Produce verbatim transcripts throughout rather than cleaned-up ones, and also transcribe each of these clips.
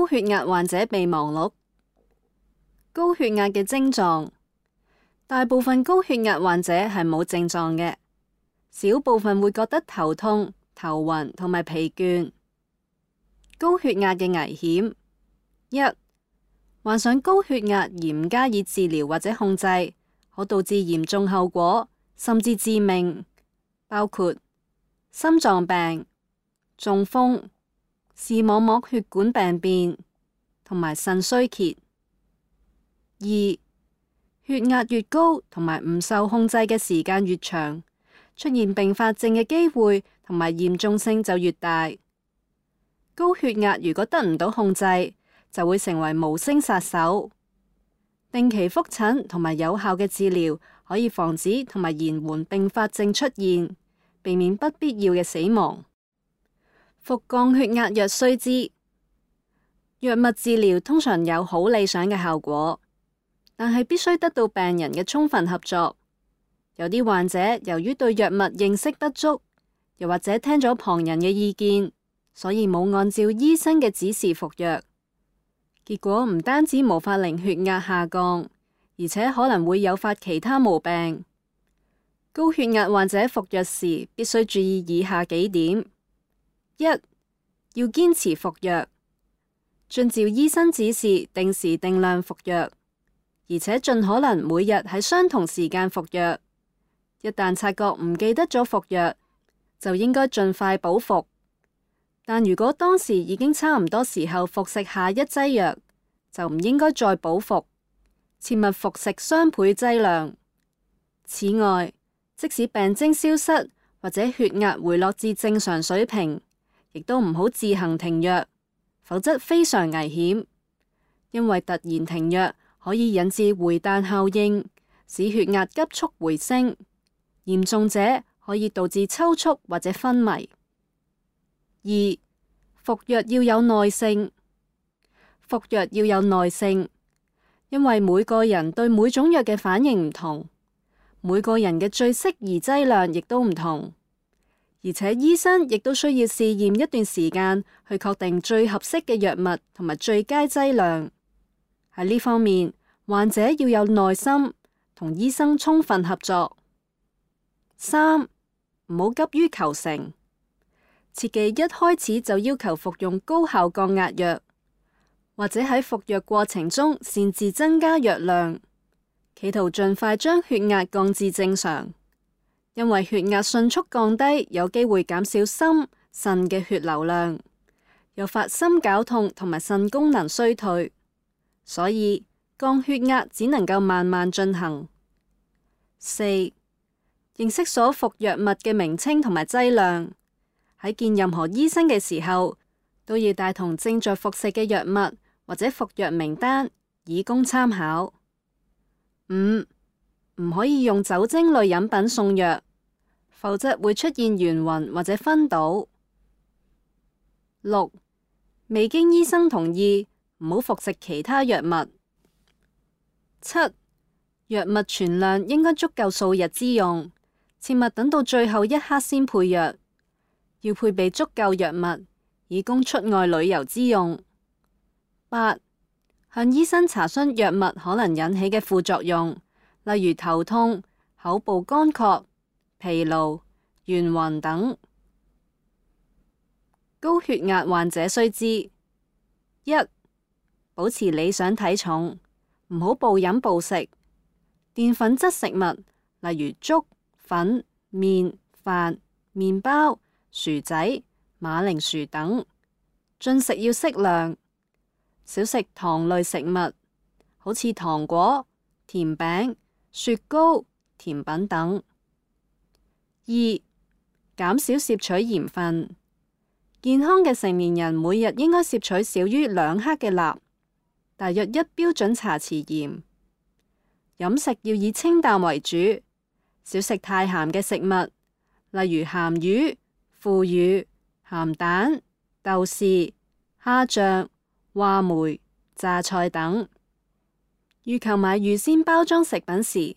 血壓患者備忘錄。高血壓嘅症狀，大部分高血壓患者係冇症狀嘅，小部分會覺得頭痛、頭暈同埋疲倦。高血壓嘅危險：一、患上高血壓而唔加以治療或者控制，可導致嚴重後果，甚至致命，包括心臟病、中風、視網膜血管病變同埋腎衰竭。二、血壓越高同埋唔受控制嘅時間越長，出現併發症嘅機會同埋嚴重性就越大。高血壓如果得唔到控制，就會成為無聲殺手。定期覆診同埋有效嘅治療可以防止同埋延緩併發症出現，避免不必要嘅死亡。服降血壓藥須知，藥物治療通常有好理想嘅效果，但係必須得到病人嘅充分合作。有啲患者由於對藥物認識不足，又或者聽咗旁人嘅意見，所以冇按照醫生嘅指示服藥，結果唔單止無法令血壓下降，而且可能會誘發其他毛病。高血壓患者服藥時必須注意以下幾點：一、要堅持服藥，遵照醫生指示定時定量服藥，而且盡可能每日喺相同時間服藥。一旦察覺唔記得咗服藥，就應該盡快補服。但如果當時已經差唔多時候服食下一劑藥，就唔應該再補服，切勿服食雙倍劑量。此外，即使病徵消失或者血壓回落至正常水平，亦都唔好自行停藥，否則非常危險。因為突然停藥可以引致回彈效應，使血壓急速回升，嚴重者可以導致抽搐或者昏迷。二、服藥要有耐性。服藥要有耐性，因為每個人對每種藥嘅反應唔同，每個人嘅最適宜劑量亦都唔同，而且醫生亦都需要試驗一段時間去確定最合適嘅藥物同埋最佳劑量。喺呢方面，患者要有耐心，同醫生充分合作。三、唔好急於求成，切忌一開始就要求服用高效降壓藥，或者喺服藥過程中擅自增加藥量，企圖盡快將血壓降至正常。因為血壓迅速降低，有機會減少心、腎嘅血流量，誘發心絞痛同埋腎功能衰退，所以降血壓只能夠慢慢進行。四、認識所服藥物嘅名稱同埋劑量，喺見任何醫生嘅時候，都要帶同正在服食嘅藥物或者服藥名單，以供參考。五、唔可以用酒精類飲品送藥，否則會出現眩暈或者昏倒。六、未經醫生同意，唔好服食其他藥物。七、藥物存量應該足夠數日之用，切勿等到最後一刻先配藥，要配備足夠藥物，以供出外旅遊之用。八、向醫生查詢藥物可能引起嘅副作用，例如頭痛、口部乾涸、疲勞、眩暈等。高血壓患者須知：一、保持理想體重，唔好暴飲暴食。澱粉質食物，例如粥、粉、麵、飯、麵包、薯仔、馬鈴薯等，進食要適量。少食糖類食物，好似糖果、甜餅、雪糕、甜品等。二、減少攝取鹽分。健康嘅成年人每日應該攝取少於兩克嘅鈉，大約一標準茶匙鹽。飲食要以清淡為主，少食太鹹嘅食物，例如鹹魚、腐乳、鹹蛋、豆豉、蝦醬、話梅、榨菜等。預購買預先包裝食品時，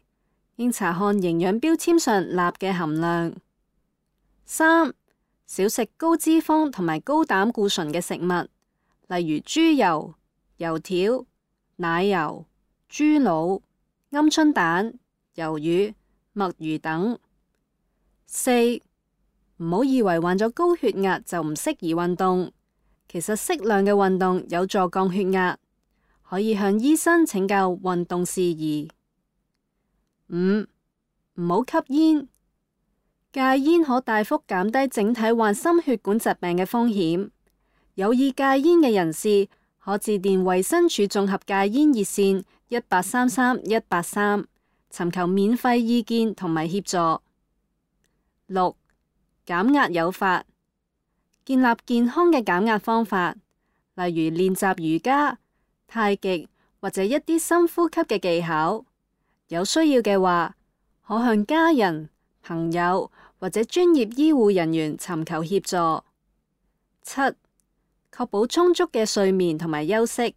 應查看營養標籤上鈉嘅含量。三、少食高脂肪同埋高膽固醇嘅食物，例如豬油、油條、奶油、豬腦、鵪鶉蛋、魷魚、墨魚等。四、唔好以為患咗高血壓就唔適宜運動，其實適量嘅運動有助降血壓，可以向醫生請教運動事宜。五、唔好吸煙，戒煙可大幅減低整體患心血管疾病嘅風險。有意戒煙嘅人士可致電衛生署綜合戒煙熱線一八三三一八三，尋求免費意見同埋協助。六、減壓有法，建立健康嘅減壓方法，例如練習瑜伽、太極或者一啲深呼吸嘅技巧。有需要嘅話，可向家人、朋友或者專業醫護人員尋求協助。七、確保充足嘅睡眠同埋休息，